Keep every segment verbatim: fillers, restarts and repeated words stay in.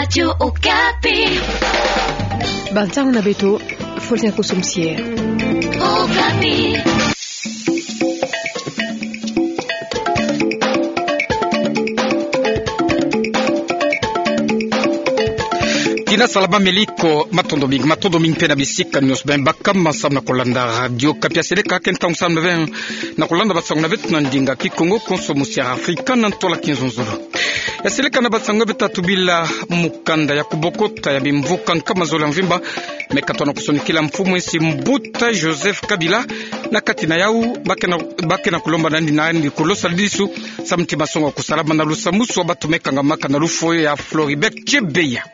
Radio Okapi. Bansango na beto, Faustin Kosomsie. Okapi. Tina salama, meliko, matondo mingi, matondo mingi mpe na bisika nyonso bima bakama samu na kolanda Radio Okapi. Ya seleka ke ntangu samu na beno na kolanda bansango na beto na ndinga Kikongo, konso musia Afrika na ntola kizonzolo. Ya seleka na bansango beto tubila mukanda ya kubokota ya bimvuka nkama zole ya mvimba me katona kusonikila mfumu ya nsi mbuta Joseph Kabila, na kati na yau ba ke na, ba ke na kulomba na yandi, na yandi kulosa lidisu samu ti masonga kusalama na lusamusu wa bantu me kangamaka na lufwa ya Floribert Chebeya.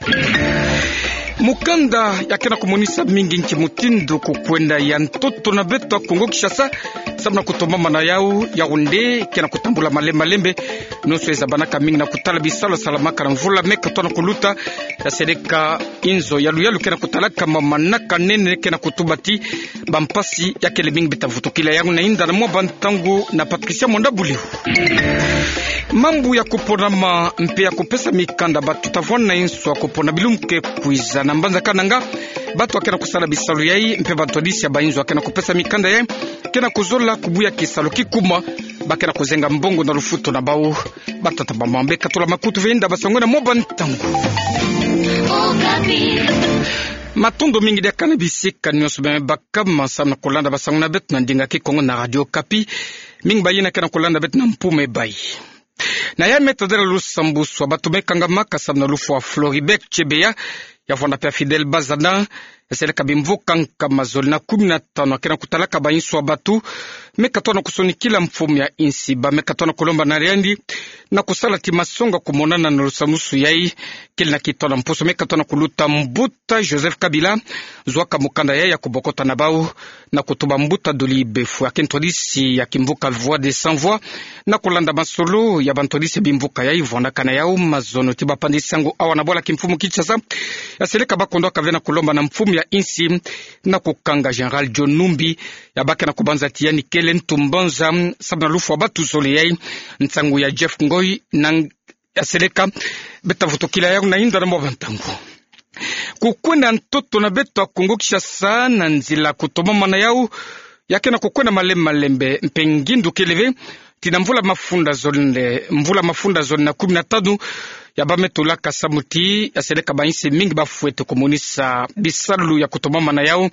Mukanda ya ke na kumonisa mingi nki mutindu kukwenda ya ntoto na beto ya Kongo Kinshasa samu na kutombama na yau, Yaoundé ke na kutambula malembe malembe. Nyonso ezabanaka mingi na kutala bisalu salamaka na mvula me katona kuluta. Ya seleka inzo ya luyalu ke na kutalaka ma manaka nene ke na kutuba ti bampasi ya kele mingi. Bita vutukila yau na yinda na mwa bantangu na Patricia Mwanda Buleu. Mambu ya kuponama mpe ya kupesa mikanda bantu ta vwanda inso ya kupona bilumbu ke kwiza. Na mbanza Kananga, bantu ya ke na kusala bisalu yai mpe bantwadisi ya bainzo ya ke na kupesa mikanda yai ke na kuzola kubuya kisalu kikuma. Ba ke na kuzenga mbongo na lufutu na bau. Batata, bamama, beka tula makutu ve yinda bansango na mwa bantangu. Okapi. Matondo mingi diaka na bisika nyonso bima bakama samu na kolanda bansango na beto na ndinga Kikongo na Radio Okapi. Mingi bayina ke na kolanda beto na mpume bayi. Na ya me tadela lusambusu wa bantu me kangamaka samu na lufwa Floribert Chebeya, ya vwanda mpe ya Fidèle Bazana. Ya seleka bimvuka nkama zole na kumi na tanu ya ke na kutalaka bainso ya bantu me katona kusonikila mfumu ya nsi, ba me katona kulomba na yandi na kusala ti masonga kumonana na lusamusu yai. Kele na kitono mposo me katona kuluta, mbuta Joseph Kabila zwaka mukanda yai ya kubokota na bau na kutuba mbuta Dolly Befou, ya ke ntwadisi ya kimvuka Voix des Sans Voix, na kulanda masolo ya bantwadisi ya bimvuka yai. Vwandaka na yau mazono ti bapandi sango awa na bwala kimfumu Kinshasa, ya seleka ba kondwaka ve na kulomba na mfumu ya nsi na kukanga Général John Numbi, ya ba ke na kubanza ti yandi kele ntu mbanza samu na lufwa bantu zole yai. Nsangu ya Jeff Ngoy na Ya seleka, beta vutukila yau na yinda na mwa bantangu. Kukwenda ntoto na beto ya Kongo Kinshasa na nzila kutomamana yau, ya kena kukwenda malembe malembe, mpe ngindu kele ve, ti na mvula mafunda zole, mvula mafunda zole na kumi na tanu, ya ba me tulaka samu ti, ya seleka bainsi mingi bafwete kumonisa bisalu ya kutomamana yau,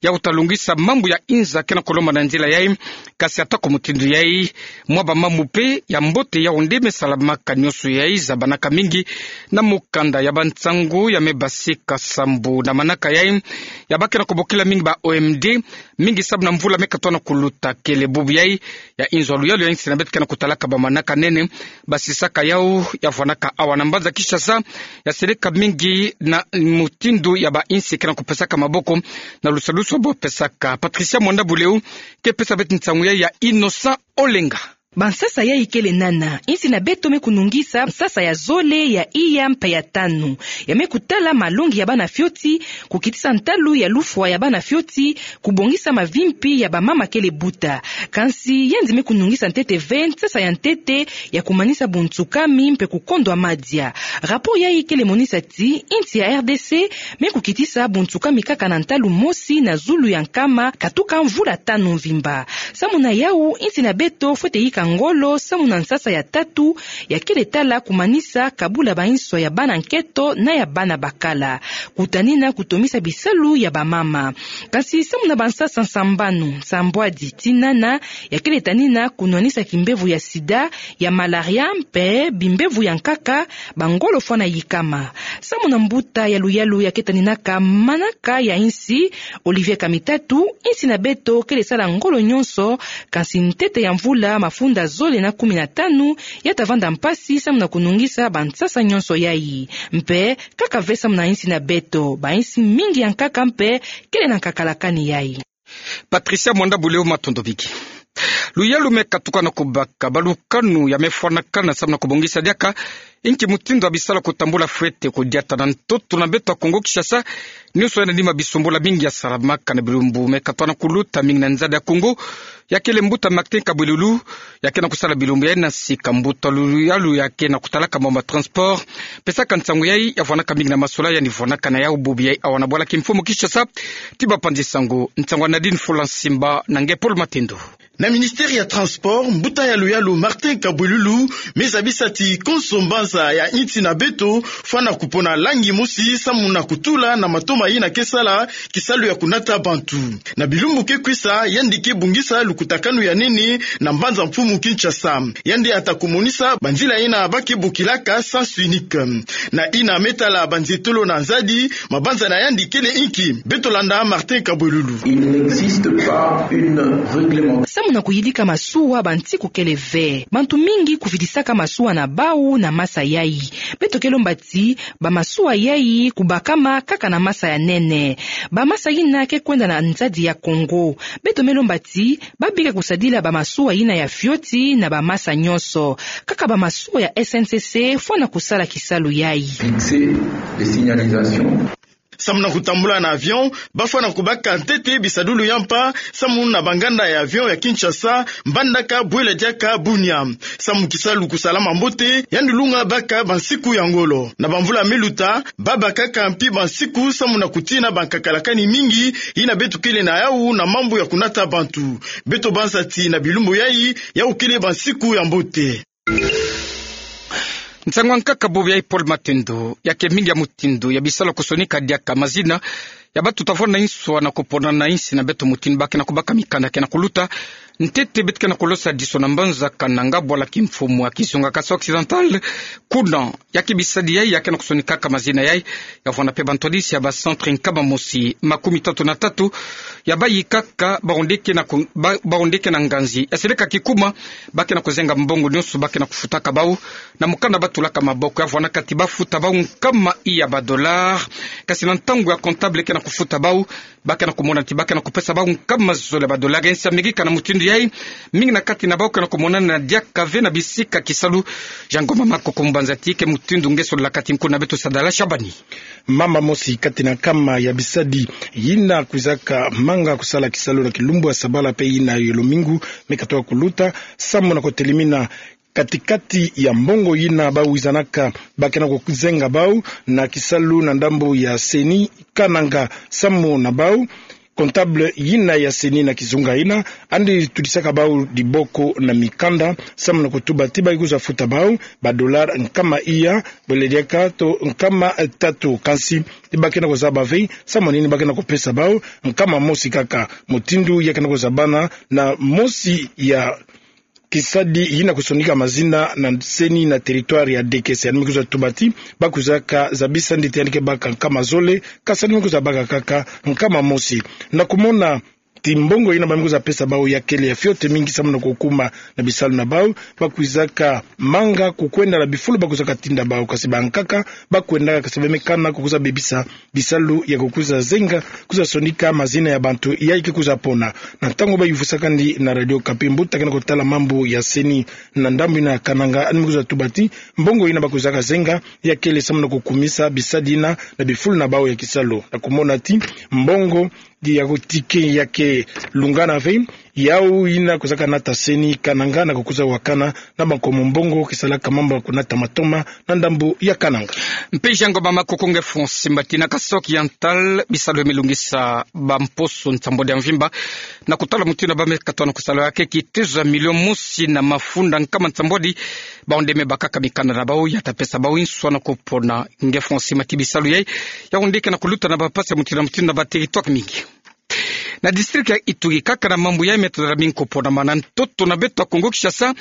ya kuta lungisa mambu ya inza kena kulomba na nzila yai, kasi ata ko mutindu yai, mwa bamambu mpe ya mbote yau nde me salamaka nyonso yai zabanaka mingi na mukanda ya bansangu ya me basika sambu na manaka yai, ya ba kena kubokila mingi ba O M D, mingi samu na mvula me katona kuluta kele bubu yai, ya inzo ya luyalu ya insi na beto kena kutalaka bamanaka nene, basisaka yau, ya fwanaka awa na mbanza Kinshasa, ya seleka mingi na mutindu ya bainsi kena kupesaka maboko, na lusalusu bo pesaka. Patricia Mwanda Buleu, ke pesa beto nsangu yai ya Innocent Olenga. Bansasa yai kele nana, insi na beto me kunungisa nsasa ya zole, ya iya, mpe ya tanu. Ya me kutala malongi ya bana fioti, kukitisa ntalu ya lufwa ya bana fioti, kubongisa mavimpi ya bamama kele buta. Kansi, yandi me kunungisa ntete ve nsasa ya ntete ya kumanisa buntsukami mpe kukondwa madia. Rapport yai kele monisa ti, insi ya R D C me kukitisa buntsukami kaka na ntalu mosi na zulu ya nkama katuka mvula tanu mvimba. Samu na yau, insi na beto fwete yika ngolo samu na nsasa ya tatu, ya kele tala kumanisa kabula bainso ya bana nketo na ya bana bakala. Kutanina kutomisa bisalu ya bamama. Kansi samu na bansasa sambanu, nsambwadi, tii nana, ya kele tanina kunwanisa kimbevo ya sida, ya malaria, mpe bimbevo ya nkaka, bangolo fwana yikama. Samu na mbuta ya luyalu ya ke taninaka manaka ya insi, Olivier Kamitatu, insi na beto kele sala ngolo nyonso, kansi ntete ya mvula mafunda zole na kumi na tanu, ya ta vanda mpasi samu na kunungisa bansasa nyonso yai. Mpe, kaka ve samu na insi na beto, bainsi mingi ya nkaka mpe kele na nkakalakani yai. Patricia Mwanda Buleu, matondo mingi. Luyalu me katuka na kubaka balukanu ya me fwanakana samu na kubongisa diaka inki mutindu ya bisalu ya kutambula fwete kudiata na ntoto na beto ya Kongo Kinshasa. Nyonso yandi ma bisambulu mingi ya salamaka na bilumbu me katuka na kuluta, mingi na nzadi ya Kongo, ya kele mbuta Martin Kabwelulu, ya ke na kusala bilumbu yayi na sika mbuta Luyalu ya ke na kutalaka mambu ya transport. Pesaka nsangu yayi ya fwanaka mingi na masolo yandi fwanaka na yau bubu yayi awa na bwala kimfumu Kinshasa. Ti bapanzi nsangu, nsangu ya Nadine Fula Nsimba na nge Paul Matendo. Na ministère ya transport, mbuta ya Luyalu Martin Kabwelulu me zabisa ti konso mbanza ya insi na beto fwana kupona langi mosi samu na kutula na matoma yina ke sala kisalu ya kunata bantu. Na bilumbu ke kwisa, yandi ke bongisa lukutakanu ya nene na mbanza mfumu Kinshasa. Yandi ata kumonisa banzila yina ba ke bokilaka sens unique. Na yina me tala banzietolo na nzadi, mabanza na yandi kele inki? Beto landa Martin Kabwelulu. Il n'existe pas une réglementation. Samu na kuyidika masuwa, bansiku kele ve. Bantu mingi kuvidisaka masuwa na bau na masa yayi. Beto ke lomba ti bamasuwa yayi kubakama kaka na masa ya nene. Bamasa yina ke kwenda na nzadi ya Kongo. Beto me lomba ti ba bika kusadila bamasuwa yina ya fioti na bamasa nyonso. Kaka bamasuwa ya S N C C fwana kusala kisalu yayi. Fixer les signalisations. Samu na kutambula na avion, ba fwana kubaka ntete bisadulu ya mpa samu na banganda ya avion ya Kinshasa, Mbandaka, Bwele, diaka Bunia. Samu kisalu kusalama mbote, yandi lunga baka bansiku ya ngolo. Na bamvula me luta, ba bakaka mpi bansiku samu na kutina bankakalakani mingi yina beto kele na yau na mambu ya kunata bantu. Beto banza ti na bilumbu yayi, yau kele bansiku ya mbote. Nsangu ya nkaka bubu yayi Paul Matendo, ya ke mingi ya mutindu ya bisalu ya kusonika diaka mazina ya batuta fwana na inswa na kupona na insi na beto, mutindu ba ke na kubaka mikanda ke na kuluta. Ntete beto ke na kulosadiso na mbanza Kananga, bwala kimfumu ya Kizunga, Kasaï Occidental. Kuna ya ke bisadi yayi ya ke na kusonikaka mazina yayi, ya fwana mpe bantwadisi ya ba centre nkama mosi makumi tatu na tatu ya bayikaka baondo ke na ku-, ba-, baondo ke na nganzi. Ya seleka kikuma, ba ke na kuzenga mbongo nyonso ba ke na kufutaka bau na mukanda ba tulaka maboko, ya fwanaka ti ba futa bau nkama iya ba dollars. Kasi na ntangu ya comptable ke na kufuta bau, ba ke na kumona ti ba ke na kupesa bau nkama zole ba dollars. Insi ya mekika na mutindu yayi, mingi na kati na bau ke na kumonana diaka ve na bisika kisalu. Jean Ngoma Makoko, mbanza ti ke mutindu nge sololaka ti nkuna beto Sadala Shabani. Mama mosi kati na nkama ya bisadi yina kwizaka manga kusala kisalu na kilumbu ya sabala mpe yina ya lomingu me katoka kuluta, samu na kutelemina katikati ya mbongo yina ba wizanaka, ba ke na kuzenga bau na kisalu na ndambu ya CENI Kananga. Samu na bau, comptable yina ya CENI na Kizunga yina, yandi tudisaka bau diboko na mikanda samu na kutuba ti ba ke kwiza futa bau ba dollars nkama iya, bwele diaka to nkama tatu. Kansi ti ba ke na kuzaba ve samu na nini ba ke na kupesa bau nkama mosi kaka. Mutindu ya ke na kuzabana na mosi ya kisadi yina kusonika mazina na CENI na territoire ya D K C, yandi me kwiza tuba ti ba kwizaka zabisa nde ti yandi ke baka nkama zole, kasi yandi me kwiza baka kaka nkama mosi. Na kumona ti mbongo yina ba me kwiza pesa bau ya kele ya fioti mingi samu na kukuma na bisalu na bau, ba kwizaka manga kukwenda na bifulu ba kwizaka tinda bau, kasi bankaka ba kwendaka, kasi ba me kana kukwiza bebisa bisalu ya kukwiza zenga, kwiza sonika mazina ya bantu yayi ke kwiza pona. Na ntangu ba yuvusaka nde na Radio Okapi mbuta ke na kutala mambu ya CENI na ndambu yina ya Kananga, yandi me kwiza tuba ti mbongo yina ba kwizaka zenga ya kele samu na kukumisa bisadi yina na bifulu na bau ya kisalu. Na kumona ti mbongo ya ticket ya ke lungana ve, yau yina kwizaka nata CENI Kananga na kukwiza wakana na bankomo mbongo ke salaka mambu ya kunata matoma na ndambu ya Kananga. Mpe Jean Ngoma Makoko, nge Francis Mbati. Na Kasaï Occidental, bisalu me lungisa bamposo nsambwadi ya mvimba na kutala mutindu ba me katoka na kusala ya ke kitezo ya milio mosi na mafunda nkama nsambwadi. Baondo me bakaka mikanda na bau, ya ta pesa bau inswa na kupona. Nge Francis Mbati, bisalu yayi ya onde ke na kuluta na bapasi ya mutindu na mutindu na ba territoire mingi. Na district ya Ituri kaka na mambu yayi me tadala mingi kuponama na ntoto na beto ya Kongo Kinshasa.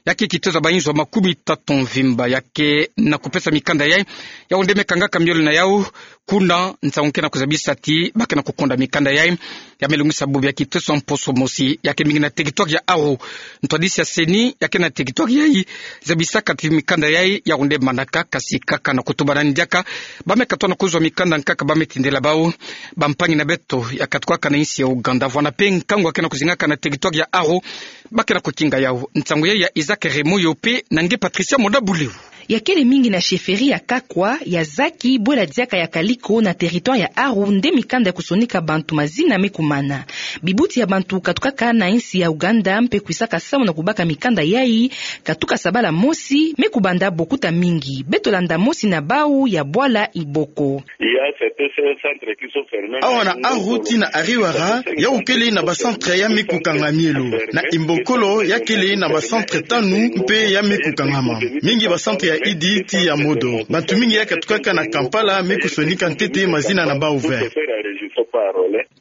Ya ke kitezo ya bainzo makumi tatu mvimba ya ke na kupesa mikanda yai, yau nde me kangaka miole na yau, kuna nsangu ke na kuzabisa ti ba ke na kukonda mikanda yai ya me lungisa bubu ya kitezo mposo mosi ya ke mingi na territoire ya Aru. Ntwadisi ya CENI ya ke na territoire yai zabisaka ti mikanda yai yau nde manaka, kasi kaka na kutuba nani diaka ba me katoa na kuzwa mikanda nkaka ba me tindela bau. Bampangi na beto ya katukaka na insi ya Ouganda, vwanda mpe nkangu ya ke na kuzingaka na territoire ya Aru, ba ke na kukinga yau. Nsangu yai ya Isaac Remoyo mpe na nge Patricia Mondabuleu. Ya kele mingi na chefferie ya Kakwa, ya zaki, bwela diaka ya Kaliko na territoire ya Aru nde mikanda ya kusonika bantu mazina me kumana. Bibuti ya bantu katukaka na insi ya Ouganda mpe kwisaka samu na kubaka mikanda yai, katuka sabala mosi, me kubanda bokuta mingi. Beto landa mosi na bau ya bwala Iboko. Awa na Aru tii na Ariwara, yau kele na bacentre ya me kukanga mielo. Na Imbokolo, ya kele na bacentre tanu mpe ya me kukangama. Mingi bacentre ya Idi tii ya Modo. Bantu mingi ya katukaka na Kampala me kusonika ntete mazina na bau ve.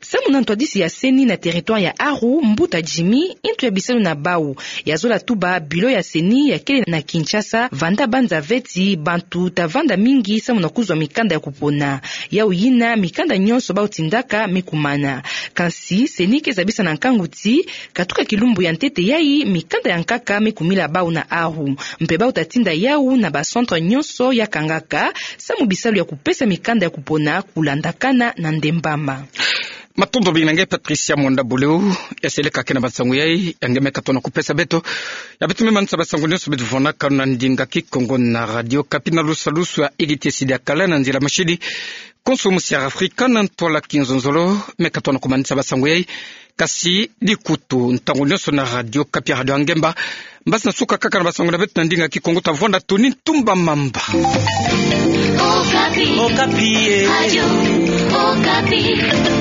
Samu na ntwadisi ya CENI na territoire ya Aru, mbuta Jimmy, ntu ya bisalu na bau, ya zola tuba bureau ya CENI ya kele na Kinshasa, vanda banza ve ti bantu ta vanda mingi samu na kuzwa mikanda ya kupona. Yau yina, mikanda nyonso bau tindaka me kumana. Kansi CENI ke zabisa na nkangu ti, katuka kilumbu ya ntete yai, mikanda ya nkaka me kumila bau na Aru. Mpe bau ta tinda yau na bacentre nyonso ya kangaka, samu bisalu ya kupesa mikanda ya kupona kulandakana na ndembama. Matondo mingi na nge Patricia Mondabuleu, ya seleka ke na bansangu yai ya nge me katoa na kupesa beto. Ya beto me manisa bansangu nyonso beto vunaka na ndinga Kikongo na Radio Okapi na lusalusu ya Igiti Sidi ya kala na nzila mashini. Konso musi ya Afrika na ntwala kinzonzolo me katoa na kumanisa bansangu yai. Kasi dikutu ntangu nyonso na Radio Okapi, radio ya ngemba. Mbasi na suka kaka na bansangu na beto na ndinga Kikongo, ta vwanda Tony Ntumba Mamba. Okapi. Okapi, eh. Radio Okapi.